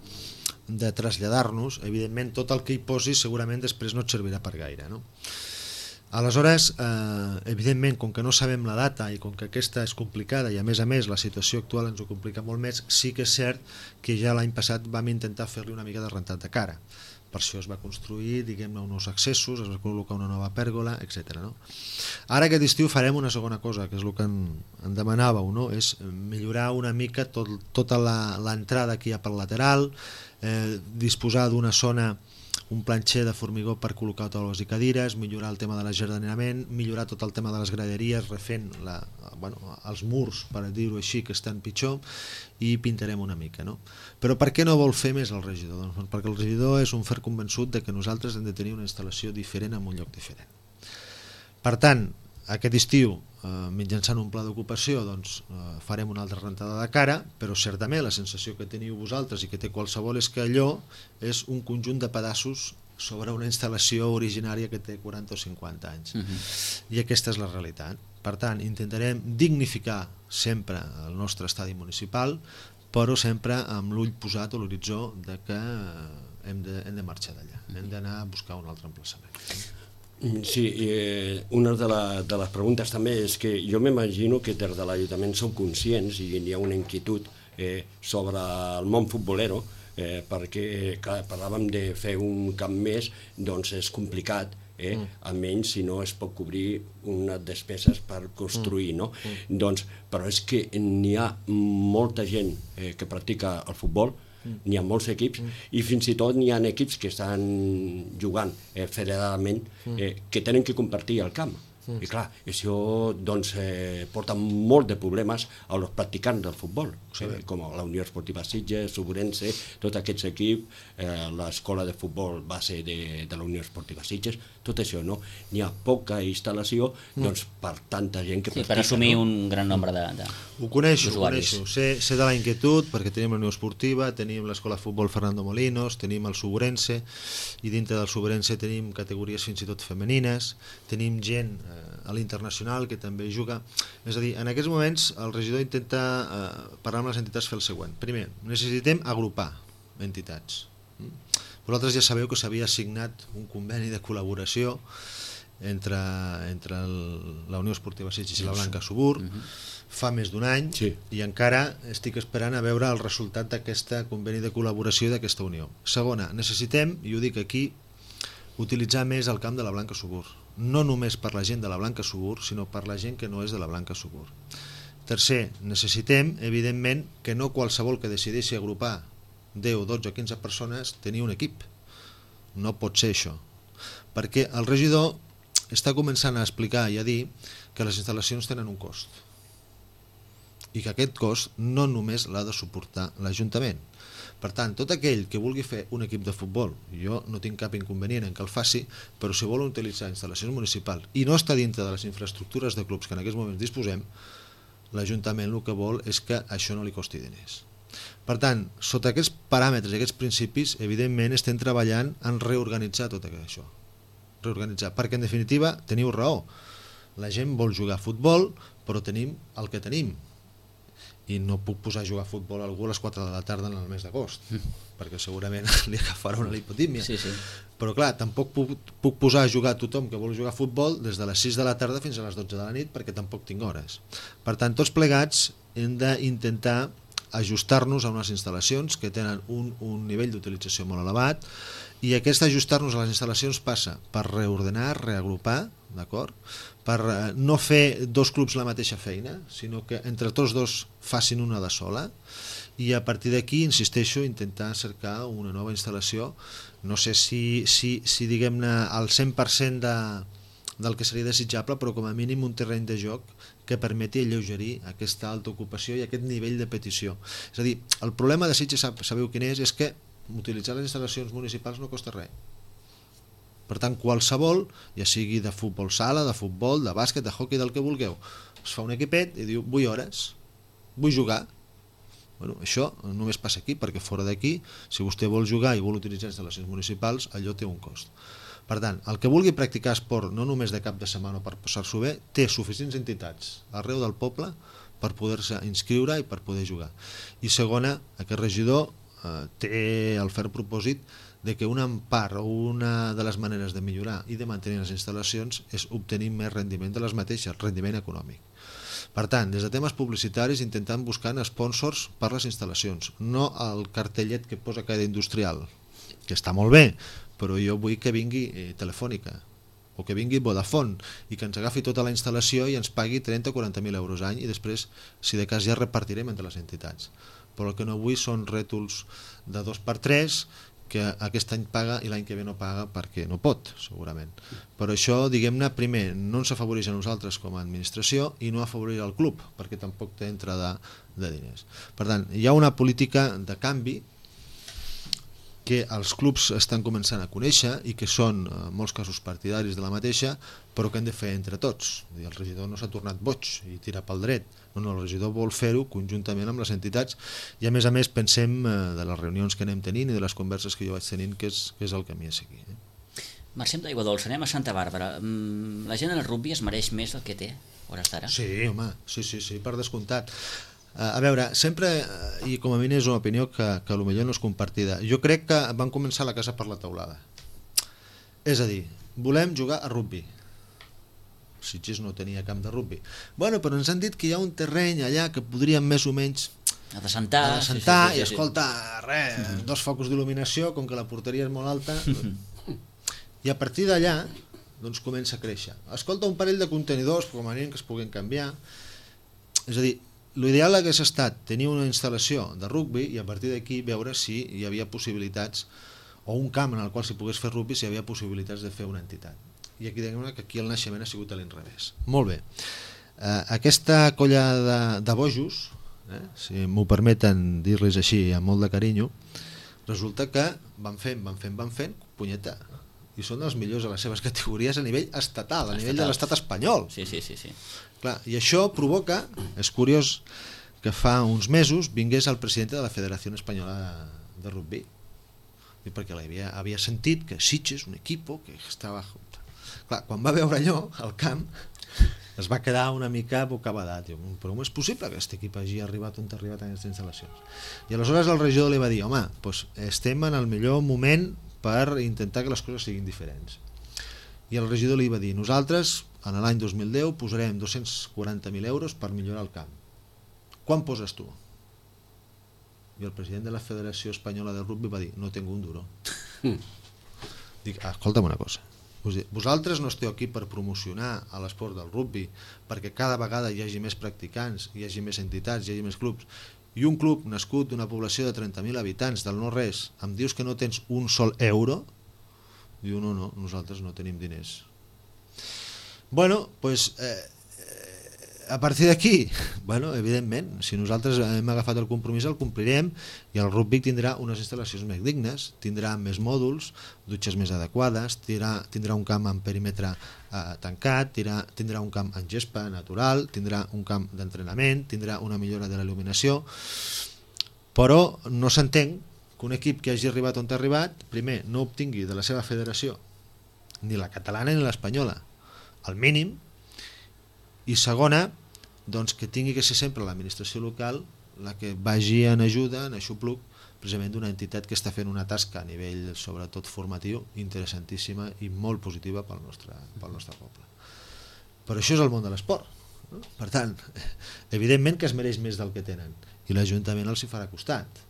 Speaker 3: de traslladar-nos, evidentment tot el que hi posi segurament després no et servirà per gaire, no? Aleshores, eh, evidentment, com que no sabem la data i com que aquesta és complicada i a més a més la situació actual ens ho complica molt més, sí que és cert que ja l'any passat vam intentar fer-li una mica de rentat de cara. Per això es va construir, diguem-ne, uns accessos, es va col·locar una nova pèrgola, etcètera. No? Ara aquest estiu farem una segona cosa, que és el que en, en demanàveu, no? És millorar una mica tot, tota l'entrada que hi ha pel lateral, eh, disposar d'una zona, un planxer de formigó per col·locar taules i cadires, millorar el tema de l'ajardinament, millorar tot el tema de les graderies, refent la, bueno, els murs, per dir-ho així, que estan pitjor, i pintarem una mica. No? Però per què no vol fer més el regidor? Doncs perquè el regidor és un fer convençut de que nosaltres hem de tenir una instal·lació diferent en un lloc diferent. Per tant, aquest estiu, eh, mitjançant un pla d'ocupació, doncs, eh, farem una altra rentada de cara, però certament la sensació que teniu vosaltres i que té qualsevol és que allò és un conjunt de pedassos sobre una instal·lació originària que té quaranta o cinquanta anys. Uh-huh. I aquesta és la realitat. Per tant, intentarem dignificar sempre el nostre estadi municipal, però sempre amb l'ull posat a l'horitzó de que hem de, hem de marxar d'allà, hem d'anar a buscar un altre emplaçament.
Speaker 4: Sí, eh, una de, la, de les preguntes també és que jo m'imagino que des de l'Ajuntament sou conscients i hi ha una inquietud eh, sobre el món futbolero, eh, perquè clar, parlàvem de fer un camp més, doncs és complicat, eh, mm. almenys si no es pot cobrir unes despeses per construir, no? Mm. Doncs, però és que n'hi ha molta gent eh, que practica el futbol, n'hi ha molts equips, mm. i fins i tot n'hi ha equips que estan jugant eh, federadament, eh, que tenen que compartir el camp. Mm. I clar, això doncs, eh, porta molt de problemes als practicants del futbol. eh, com la Unió Esportiva Sitges, Subrense, tots aquests equips, eh, l'escola de futbol base de, de la Unió Esportiva Sitges, tot això, no? N'hi ha poca instal·lació, doncs, per tanta gent que
Speaker 2: sí,
Speaker 4: practica.
Speaker 2: per assumir
Speaker 4: no?
Speaker 2: un gran nombre de, de
Speaker 3: Ho coneixo, ho
Speaker 2: d'usuaris.
Speaker 3: coneixo. Sé, sé de la inquietud, perquè tenim la Unió Esportiva, tenim l'escola de futbol Fernando Molinos, tenim el Subrense, i dintre del Subrense tenim categories fins i tot femenines, tenim gent eh, a l'internacional que també juga. És a dir, en aquests moments el regidor intenta eh, parlar amb les entitats, fer el següent. Primer, necessitem agrupar entitats. Vosaltres ja sabeu que s'havia signat un conveni de col·laboració entre, entre el, la Unió Esportiva Sitges i la Blanca Subur uh-huh. fa més d'un any,
Speaker 4: sí.
Speaker 3: i encara estic esperant a veure el resultat d'aquest conveni de col·laboració d'aquesta unió. Segona, necessitem, i ho dic aquí, utilitzar més el camp de la Blanca Subur, no només per la gent de la Blanca Subur, sinó per la gent que no és de la Blanca Subur. Tercer, necessitem, evidentment, que no qualsevol que decideixi agrupar deu, dotze o quinze persones tenir un equip. No pot ser això. Perquè el regidor està començant a explicar i a dir que les instal·lacions tenen un cost. I que aquest cost no només l'ha de suportar l'Ajuntament. Per tant, tot aquell que vulgui fer un equip de futbol, jo no tinc cap inconvenient en que el faci, però si vol utilitzar instal·lacions municipals i no està dintre de les infraestructures de clubs que en aquests moments disposem, l'Ajuntament el que vol és que això no li costi diners. Per tant, sota aquests paràmetres i aquests principis, evidentment estem treballant en reorganitzar tot això. Reorganitzar, perquè en definitiva teniu raó. La gent vol jugar a futbol, però tenim el que tenim. I no puc posar a jugar a futbol a algú a les quatre de la tarda en el mes d'agost, mm. perquè segurament li agafarà una lipotímia.
Speaker 2: Sí, sí.
Speaker 3: Però clar, tampoc puc, puc posar a jugar a tothom que vol jugar a futbol des de les sis de la tarda fins a les dotze de la nit, perquè tampoc tinc hores. Per tant, tots plegats hem d'intentar ajustar-nos a unes instal·lacions que tenen un, un nivell d'utilització molt elevat, i aquest ajustar-nos a les instal·lacions passa per reordenar, reagrupar, d'acord? Per no fer dos clubs la mateixa feina, sinó que entre tots dos facin una de sola, i a partir d'aquí, insisteixo, intentar cercar una nova instal·lació, no sé si, si, si diguem-ne al cent per cent de, del que seria desitjable, però com a mínim un terreny de joc que permeti alleugerir aquesta alta ocupació i aquest nivell de petició. És a dir, el problema de Sitges, sabeu quin és? És que utilitzar les instal·lacions municipals no costa res. Per tant, qualsevol, ja sigui de futbol sala, de futbol, de bàsquet, de hockey, del que vulgueu, es fa un equipet i diu, vull hores, vull jugar. Bueno, això només passa aquí, perquè fora d'aquí, si vostè vol jugar i vol utilitzar instal·lacions municipals, allò té un cost. Per tant, el que vulgui practicar esport, no només de cap de setmana per passar-s'ho bé, té suficients entitats arreu del poble per poder-se inscriure i per poder jugar. I segona, aquest regidor eh, té el ferm propòsit de que una part o una de les maneres de millorar i de mantenir les instal·lacions és obtenir més rendiment de les mateixes, rendiment econòmic. Per tant, des de temes publicitaris intentant buscar sponsors per les instal·lacions, no el cartellet que posa cada industrial, que està molt bé, però jo vull que vingui eh, Telefònica o que vingui Vodafone i que ens agafi tota la instal·lació i ens pagui trenta o quaranta mil euros any, i després, si de cas, ja repartirem entre les entitats. Però el que no vull són rètols de dos per tres que aquest any paga i l'any que ve no paga perquè no pot, segurament. Però això, diguem-ne, primer, no ens afavoreix a nosaltres com a administració i no afavoreix al club, perquè tampoc té entrada de diners. Per tant, hi ha una política de canvi que els clubs estan començant a conèixer i que són, en molts casos, partidaris de la mateixa, però que hem de fer entre tots. El regidor no s'ha tornat boig i tira pel dret. No, no, el regidor vol fer-ho conjuntament amb les entitats, i a més a més pensem de les reunions que anem tenint i de les converses que jo vaig tenint, que és, que és el camí a seguir.
Speaker 2: Marxem d'Aigua Dolça, anem a Santa Bàrbara. La gent del rugby es mereix més del que té, hores d'ara?
Speaker 3: Sí, home, sí, sí, sí, per descomptat. A veure, sempre, i com a mi és una opinió que, que potser no és compartida, jo crec que van començar la casa per la teulada. És a dir, volem jugar a rugby. Sitges no tenia camp de rugby. Bueno, però ens han dit que hi ha un terreny allà que podríem més o menys
Speaker 2: a desentar,
Speaker 3: a desentar
Speaker 2: sí, sí, sí,
Speaker 3: i escolta, res, mm-hmm. dos focus d'il·luminació, com que la porteria és molt alta, i a partir d'allà doncs comença a créixer. Escolta, un parell de contenidors, com a mínim que es puguin canviar. És a dir, l'ideal hagués estat tenir una instal·lació de rugby i a partir d'aquí veure si hi havia possibilitats, o un camp en el qual s'hi pogués fer rugby, si hi havia possibilitats de fer una entitat. I aquí diguem que aquí el naixement ha sigut a l'inrevés. Molt bé. Eh, aquesta colla de, de bojos, eh? Si m'ho permeten dir-les així amb molt de carinyo, resulta que van fent, van fent, van fent, punyeta, i són els millors a les seves categories a nivell estatal, a nivell de l'estat espanyol.
Speaker 2: Sí, sí, sí, sí.
Speaker 3: Clar, i això provoca, és curiós, que fa uns mesos vingués el president de la Federació Espanyola de, de Rugby, perquè havia, havia sentit que Sitges, un equip que estava... Clar, quan va veure allò, al camp, es va quedar una mica bocabadat. Però com és possible que aquest equip hagi arribat on ha arribat en aquestes instal·lacions? I aleshores el regidor li va dir, home, doncs estem en el millor moment per intentar que les coses siguin diferents. I el regidor li va dir, nosaltres, en l'any dos mil deu, posarem dos-cents quaranta mil euros per millorar el camp. Quan poses tu? I el president de la Federació Espanyola de Rugby va dir, no tinc un duro. Dic, ah, escolta'm una cosa, vosaltres no esteu aquí per promocionar a l'esport del rugby perquè cada vegada hi hagi més practicants, hi hagi més entitats, hi hagi més clubs, i un club nascut d'una població de trenta mil habitants del no-res, em dius que no tens un sol euro? Diu, no, no, nosaltres no tenim diners. Bueno, doncs eh, a partir d'aquí, bueno, evidentment, si nosaltres hem agafat el compromís el complirem i el rugby tindrà unes instal·lacions més dignes, tindrà més mòduls, dutxes més adequades, tindrà, tindrà un camp amb perímetre eh, tancat, tindrà, tindrà un camp en gespa natural, tindrà un camp d'entrenament, tindrà una millora de la il·luminació, però no s'entén que un equip que hagi arribat on ha arribat, primer, no obtingui de la seva federació, ni la catalana ni l'espanyola, al mínim, i segona, doncs que tingui que ser sempre l'administració local la que vagi en ajuda, en aixopluc, precisament d'una entitat que està fent una tasca a nivell, sobretot formatiu, interessantíssima i molt positiva pel nostre, pel nostre poble. Però això és el món de l'esport, no? Per tant, evidentment que es mereix més del que tenen i l'Ajuntament els hi farà costat,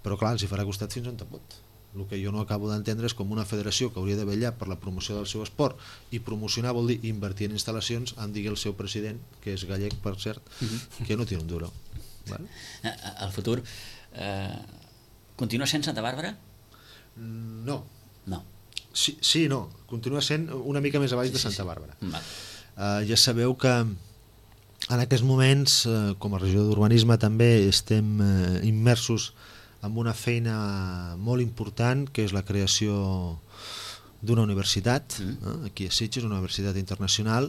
Speaker 3: però clar, els hi farà costat fins on te pot. El que jo no acabo d'entendre és com una federació que hauria de vetllar per la promoció del seu esport, i promocionar vol dir invertir en instal·lacions, em digui el seu president, que és gallec per cert, que no té un duro. Vale?
Speaker 2: El futur eh, continua sent Santa Bàrbara?
Speaker 3: No.
Speaker 2: No.
Speaker 3: Sí, sí, no, continua sent una mica més avall de Santa Bàrbara. Uh, ja sabeu que en aquests moments, uh, com a regió d'urbanisme també estem uh, immersos amb una feina molt important, que és la creació d'una universitat, eh? Aquí a Sitges, una universitat internacional,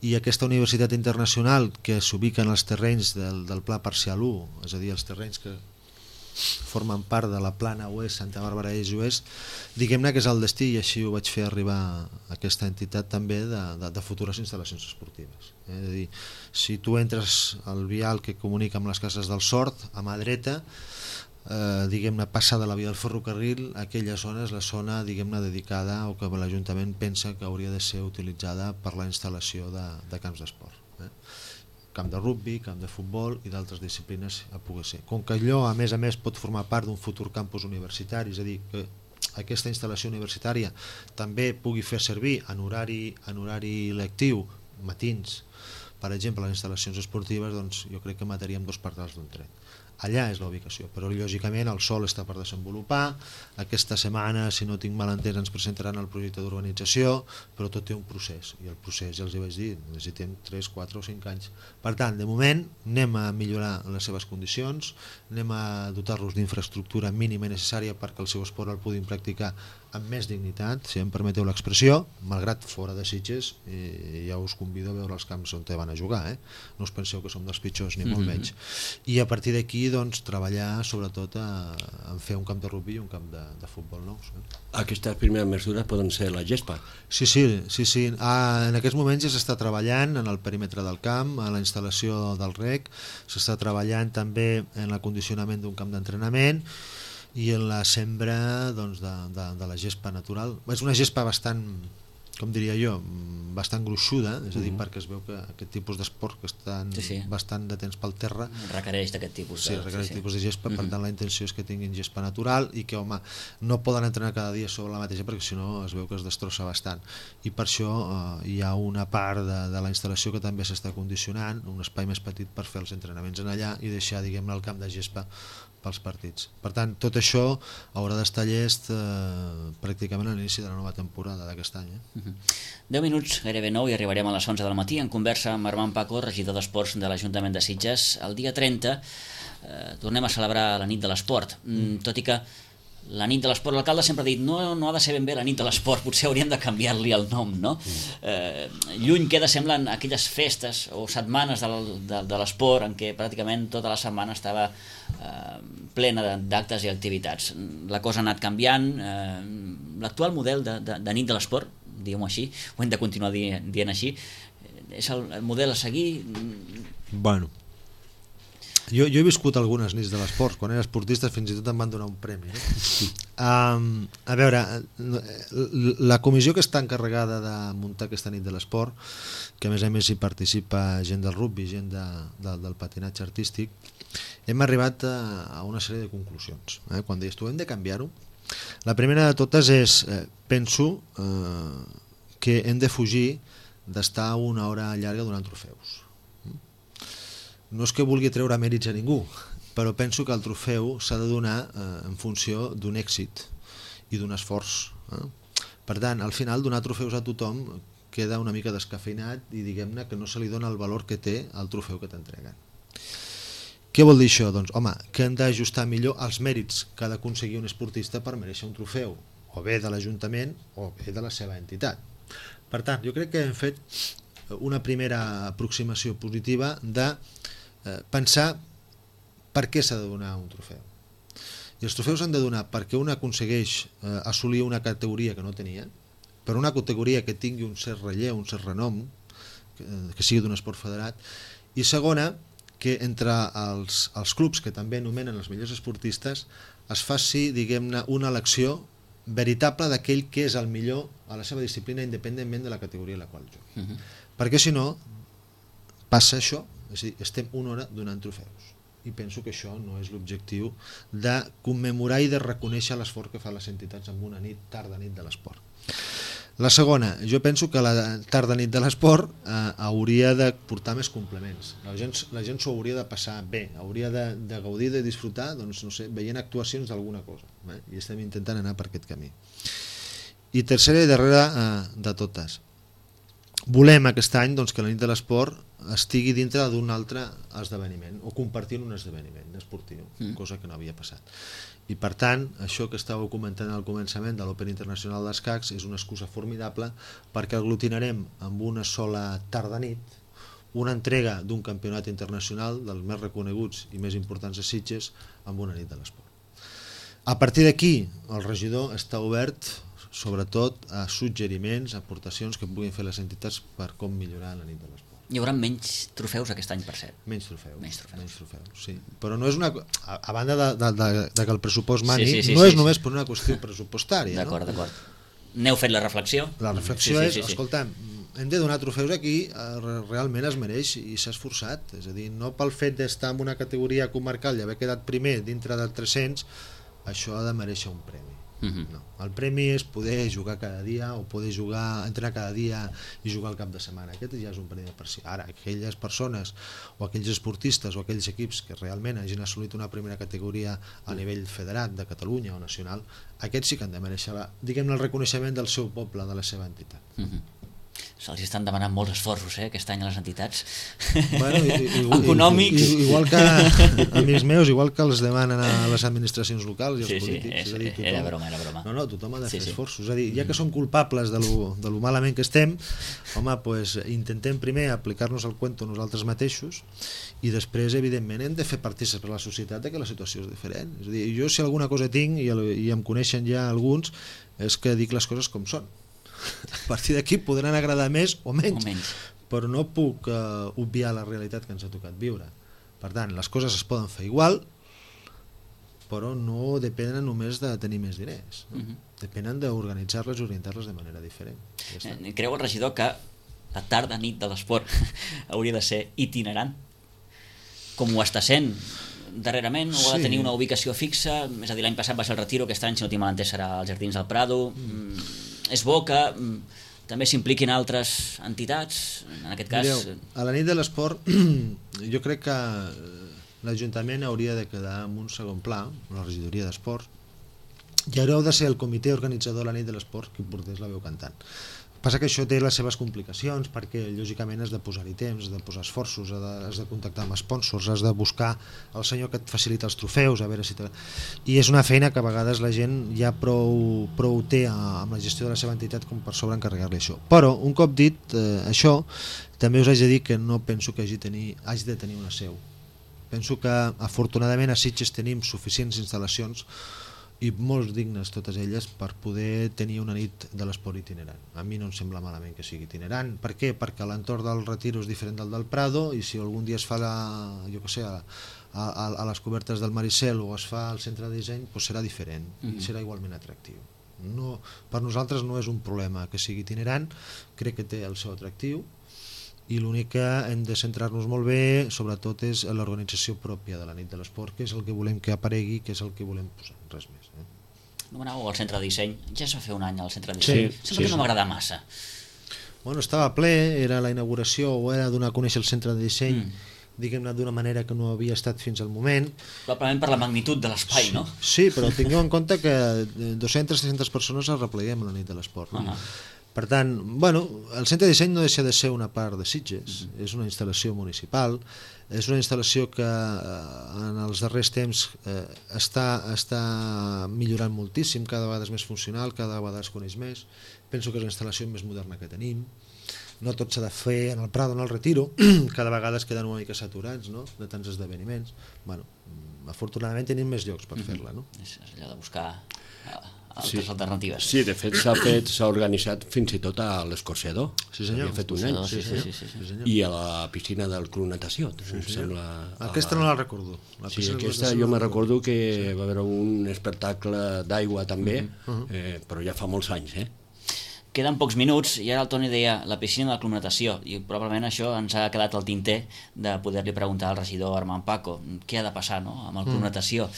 Speaker 3: i aquesta universitat internacional que s'ubica en els terrenys del, del Pla Parcial u, és a dir, els terrenys que formen part de la plana oest, Santa Bàrbara Est i Oest, diguem-ne que és el destí, i així ho vaig fer arribar a aquesta entitat també de, de, de futures instal·lacions esportives. Eh? És a dir, si tu entres al vial que comunica amb les cases del Sort, a mà dreta, Eh, diguem-ne, passada la via del ferrocarril, aquella zona és la zona, diguem-ne, dedicada o que l'Ajuntament pensa que hauria de ser utilitzada per la instal·lació de, de camps d'esport, eh? Camp de rugby, camp de futbol i d'altres disciplines a poder ser. Com que allò a més a més pot formar part d'un futur campus universitari, és a dir, que aquesta instal·lació universitària també pugui fer servir en horari, en horari lectiu, matins, per exemple, les instal·lacions esportives, doncs jo crec que mataríem dos pardals d'un tret. Allà és la ubicació, però lògicament el sòl està per desenvolupar. Aquesta setmana, si no tinc mal entès, ens presentaran el projecte d'urbanització, però tot té un procés, i el procés, ja els hi vaig dir, necessitem tres, quatre o cinc anys. Per tant, de moment anem a millorar les seves condicions, anem a dotar-los d'infraestructura mínima i necessària perquè el seu esport el puguin practicar amb més dignitat, si em permeteu l'expressió, malgrat fora de Sitges, i ja us convido a veure els camps on te van a jugar, eh? No us penseu que som dels pitjors ni molt menys. I a partir d'aquí doncs, treballar sobretot a, a fer un camp de rugby i un camp de, de futbol nous. Eh?
Speaker 4: Aquestes primeres mesures poden ser la gespa?
Speaker 3: Sí, sí, sí, sí. Ah, en aquests moments ja s'està treballant en el perímetre del camp, a la instal·lació del rec, s'està treballant també en l'acondicionament d'un camp d'entrenament i en la sembra doncs, de, de, de la gespa natural. És una gespa bastant, com diria jo, bastant gruixuda, és a dir, mm-hmm. perquè es veu que aquest tipus d'esport que estan sí, sí. bastant de temps pel terra
Speaker 2: requereix d'aquest tipus de,
Speaker 3: sí, requereix
Speaker 2: sí, sí.
Speaker 3: tipus de gespa, mm-hmm. per tant la intenció és que tinguin gespa natural i que, home, no poden entrenar cada dia sobre la mateixa perquè si no es veu que es destrossa bastant, i per això eh, hi ha una part de, de la instal·lació que també s'està condicionant, un espai més petit per fer els entrenaments en allà i deixar, diguem-ne, el camp de gespa pels partits. Per tant, tot això haurà d'estar llest eh, pràcticament a l'inici de la nova temporada d'aquest any. Eh?
Speaker 2: Uh-huh. deu minuts, gairebé nou, i arribarem a les onze del matí en conversa amb Armand Paco, regidor d'Esports de l'Ajuntament de Sitges. El dia trenta eh, tornem a celebrar la nit de l'esport, mm, tot i que la nit de l'esport, l'alcalde sempre ha dit no, no ha de ser ben bé la nit de l'esport, potser hauríem de canviar-li el nom, no? Eh, lluny queda, semblen, aquelles festes o setmanes de, de, de l'esport en què pràcticament tota la setmana estava eh, plena d'actes i activitats. La cosa ha anat canviant, eh, l'actual model de, de, de nit de l'esport, diguem-ho així, ho hem de continuar dient, dient així, és el, el model a seguir?
Speaker 3: Bueno, Jo, jo he viscut algunes nits de l'esport, quan era esportista fins i tot em van donar un premi. No? Um, a veure, la comissió que està encarregada de muntar aquesta nit de l'esport, que a més a més hi participa gent del rugby, gent de, de, del patinatge artístic, hem arribat a, a una sèrie de conclusions. Eh? Quan deies tu hem de canviar-ho, la primera de totes és, eh, penso eh, que hem de fugir d'estar una hora llarga donant trofeus. No és que vulgui treure mèrits a ningú, però penso que el trofeu s'ha de donar eh, en funció d'un èxit i d'un esforç. Eh? Per tant, al final, donar trofeus a tothom queda una mica descafeinat i diguem-ne que no se li dona el valor que té el trofeu que t'entreguen. Què vol dir això? Doncs, home, que hem d'ajustar millor els mèrits que ha d'aconseguir un esportista per mereixer un trofeu, o bé de l'Ajuntament o bé de la seva entitat. Per tant, jo crec que hem fet una primera aproximació positiva de Eh, pensar per què s'ha de donar un trofeu. I els trofeus s'han de donar perquè un aconsegueix eh, assolir una categoria que no tenia, per una categoria que tingui un cert relleu, un cert renom, que, que sigui d'un esport federat, i segona, que entre els, els clubs que també anomenen els millors esportistes es faci, diguem-ne, una elecció veritable d'aquell que és el millor a la seva disciplina independentment de la categoria en la qual juga. Uh-huh. Perquè si no, passa això, és a dir, estem una hora donant trofeus i penso que això no és l'objectiu de commemorar i de reconèixer l'esforç que fan les entitats en una nit, tarda nit de l'esport. La segona, jo penso que la tarda nit de l'esport eh, hauria de portar més complements, la gent, la gent s'ho hauria de passar bé, hauria de, de gaudir, de disfrutar, doncs no sé, veient actuacions d'alguna cosa, eh? I estem intentant anar per aquest camí. I tercera i darrera eh, de totes, volem aquest any doncs, que la nit de l'esport estigui dintre d'un altre esdeveniment o compartint un esdeveniment esportiu, mm. cosa que no havia passat. I per tant, això que estàveu comentant al començament de l'Open Internacional d'Escacs és una excusa formidable perquè aglutinarem amb una sola tarda-nit una entrega d'un campionat internacional dels més reconeguts i més importants de Sitges amb una nit de l'esport. A partir d'aquí, el regidor està obert sobretot a suggeriments, aportacions que puguin fer les entitats per com millorar la nit de l'esport.
Speaker 2: Hi haurà menys trofeus aquest any, per cert.
Speaker 3: Menys trofeus,
Speaker 2: menys trofeus. Menys trofeus,
Speaker 3: sí. Però no és una... A, a banda de, de, de, de que el pressupost mani, sí, sí, sí,
Speaker 2: no
Speaker 3: sí,
Speaker 2: és
Speaker 3: sí,
Speaker 2: només
Speaker 3: sí. per una qüestió pressupostària.
Speaker 2: D'acord,
Speaker 3: no?
Speaker 2: d'acord. N'heu fet la reflexió?
Speaker 3: La reflexió
Speaker 2: sí, sí,
Speaker 3: és,
Speaker 2: sí, sí.
Speaker 3: escolta'm, hem de donar trofeus aquí, realment es mereix i s'ha esforçat. És a dir, no pel fet d'estar en una categoria comarcal i haver quedat primer dintre del tres-cents, això ha de mereixer un premi. Uh-huh. No. El premi és poder jugar cada dia o poder jugar, entrenar cada dia i jugar al cap de setmana. Aquest ja és un premi per si. Ara, aquelles persones o aquells esportistes o aquells equips que realment hagin assolit una primera categoria a nivell federat de Catalunya o nacional, aquests sí que han de mereixer, diguem-ne, el reconeixement del seu poble, de la seva entitat.
Speaker 2: Uh-huh. Se'ls estan demanant molts esforços eh, aquest any a les entitats
Speaker 3: bueno, igual,
Speaker 2: econòmics.
Speaker 3: Igual que amics meus, igual que els demanen a les administracions locals i als
Speaker 2: sí,
Speaker 3: polítics.
Speaker 2: Sí, és,
Speaker 3: és a dir, tothom,
Speaker 2: era broma, era broma.
Speaker 3: No, no, tothom ha de fer
Speaker 2: sí, sí.
Speaker 3: esforços. És a dir, ja que som culpables de lo, de lo malament que estem, home, pues, intentem primer aplicar-nos el cuento nosaltres mateixos i després, evidentment, hem de fer partícips per la societat de que la situació és diferent. És a dir, jo si alguna cosa tinc, i, el, i em coneixen ja alguns, és que dic les coses com són. A partir d'aquí podran agradar més o menys,
Speaker 2: o menys.
Speaker 3: però no puc uh, obviar la realitat que ens ha tocat viure. Per tant, les coses es poden fer igual, però no depenen només de tenir més diners. No? Uh-huh. Depenen d'organitzar-les i orientar-les de manera diferent. Ja
Speaker 2: eh, creu el regidor que la tarda nit de l'esport hauria de ser itinerant? Com ho està sent darrerament, o sí. Ha de tenir una ubicació fixa? És a dir, l'any passat va ser el Retiro, aquest any, si no tinc mal entès, serà als Jardins del Prado. Mm. És bo que mm, també s'impliquin altres entitats, en aquest cas...
Speaker 3: Mireu, a la nit de l'esport jo crec que l'Ajuntament hauria de quedar en un segon pla, la regidoria d'esports, i haureu de ser el comitè organitzador de la nit de l'esport qui portés la veu cantant. Passa que això té les seves complicacions perquè lògicament has de posar-hi temps, has de posar esforços, has de, has de contactar amb sponsors, has de buscar el senyor que et facilita els trofeus, a veure si te... i és una feina que a vegades la gent ja prou, prou té amb la gestió de la seva entitat com per sobreencarregar-li això. Però un cop dit eh, això, també us haig de dir que no penso que hagi, tenir, hagi de tenir una seu. Penso que afortunadament a Sitges tenim suficients instal·lacions i molt dignes totes elles per poder tenir una nit de l'esport itinerant. A mi no em sembla malament que sigui itinerant. Per què? Perquè l'entorn del Retiro és diferent del del Prado i si algun dia es fa la, jo què sé, a, a, a les cobertes del Maricel o es fa al centre de disseny, doncs serà diferent mm-hmm. i serà igualment atractiu. No, per nosaltres no és un problema que sigui itinerant, crec que té el seu atractiu i l'únic que hem de centrar-nos molt bé sobretot és l'organització pròpia de la nit de l'esport, que és el que volem que aparegui, que és el que volem posar, res més. Eh?
Speaker 2: Nomenàveu al centre de disseny, ja es va fer un any al centre de disseny, sí, sembla sí, que no m'agrada massa.
Speaker 3: Bueno, estava ple, era la inauguració o era donar a conèixer el centre de disseny, mm. diguem-ne d'una manera que no havia estat fins al moment.
Speaker 2: Probablement per la magnitud de l'espai,
Speaker 3: sí,
Speaker 2: no?
Speaker 3: Sí, però tingueu en compte que dues-centes a tres-centes persones es repleguem a la nit de l'esport. No? Uh-huh. Per tant, bueno, el centre de disseny no deixa de ser una part de Sitges, mm-hmm. és una instal·lació municipal, és una instal·lació que eh, en els darrers temps eh, està, està millorant moltíssim, cada vegada és més funcional, cada vegada es coneix més, penso que és la instal·lació més moderna que tenim, no tot s'ha de fer en el Prado o en el Retiro, cada vegada es queden una mica saturats, no?, de tants esdeveniments. Bueno, afortunadament tenim més llocs per mm-hmm. fer-la, no?
Speaker 2: És allò de buscar altres
Speaker 4: sí.
Speaker 2: alternatives.
Speaker 4: Sí, de fet s'ha fet, s'ha organitzat fins i tot a l'Escorxador.
Speaker 3: Sí, senyor.
Speaker 4: Havia fet un any.
Speaker 2: Sí, sí, sí, sí, sí.
Speaker 3: Sí,
Speaker 4: I a la piscina del Club Natació. Sí, sí. Sembla,
Speaker 3: aquesta no la recordo. La
Speaker 4: sí, aquesta jo me recordo que sí. va haver un espectacle d'aigua també, uh-huh. eh, però ja fa molts anys, eh?
Speaker 2: Queden pocs minuts i ara el Toni deia la piscina de la Club Natació i probablement això ens ha quedat al tinter de poder-li preguntar al regidor Armand Paco què ha de passar, no?, amb el Club mm. Natació.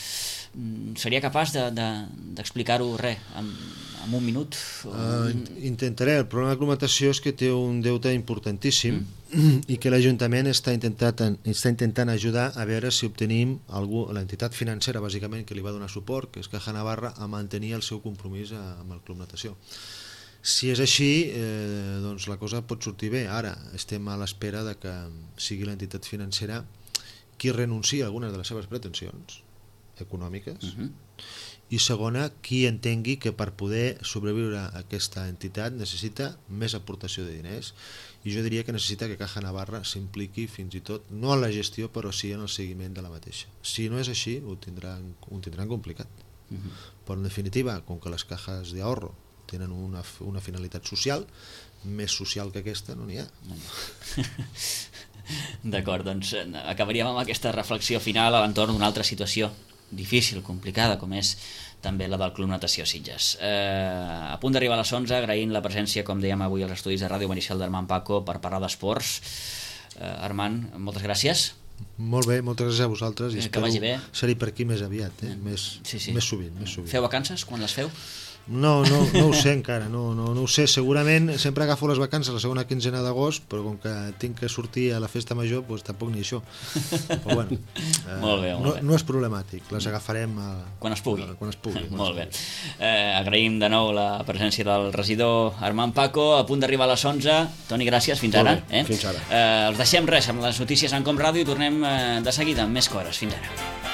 Speaker 2: Seria capaç de, de, d'explicar-ho res en, en un minut? O...
Speaker 3: Uh, intentaré. El problema de la Club Natació és que té un deute importantíssim mm. i que l'Ajuntament està, intentant, està intentant ajudar a veure si obtenim algú, l'entitat financera bàsicament que li va donar suport, que és Caja Navarra, a mantenir el seu compromís amb el Club Natació. Si és així, eh, doncs la cosa pot sortir bé. Ara estem a l'espera de que sigui l'entitat financera qui renunciï a algunes de les seves pretensions econòmiques uh-huh. i segona, qui entengui que per poder sobreviure aquesta entitat necessita més aportació de diners i jo diria que necessita que Caja Navarra s'impliqui fins i tot, no en la gestió però sí en el seguiment de la mateixa. Si no és així, ho tindran, ho tindran complicat. Uh-huh. Però en definitiva, com que les cajas de ahorro tenen una, una finalitat social, més social que aquesta no n'hi ha.
Speaker 2: D'acord, doncs acabaríem amb aquesta reflexió final a l'entorn d'una altra situació difícil, complicada, com és també la del Club Natació Sitges. Eh, a punt d'arribar a les onze, agraint la presència, com dèiem avui, als estudis de Ràdio Maricel d'Armand Paco per parlar d'esports. Eh, Armand, moltes gràcies.
Speaker 3: Molt bé, moltes gràcies a vosaltres i
Speaker 2: eh, espero
Speaker 3: ser-hi per aquí més aviat, eh? més,
Speaker 2: sí, sí.
Speaker 3: més sovint, més sovint.
Speaker 2: Feu vacances? Quan les feu?
Speaker 3: No, no, no ho sé encara, no, no, no ho sé, segurament sempre agafo les vacances la segona quinzena d'agost, però com que tinc que sortir a la festa major, doncs tampoc ni això. Però bueno, eh,
Speaker 2: molt bé, molt
Speaker 3: no,
Speaker 2: bé.
Speaker 3: no és problemàtic, les agafarem a,
Speaker 2: quan es pugui.
Speaker 3: A, quan es pugui quan
Speaker 2: molt
Speaker 3: es
Speaker 2: bé. Eh, agraïm de nou la presència del regidor Armand Paco, a punt d'arribar a les onze. Toni, gràcies, fins ara.
Speaker 4: Eh? Fins ara.
Speaker 2: Eh, els deixem res amb les notícies en Com Ràdio i tornem eh, de seguida amb més coses. Fins ara.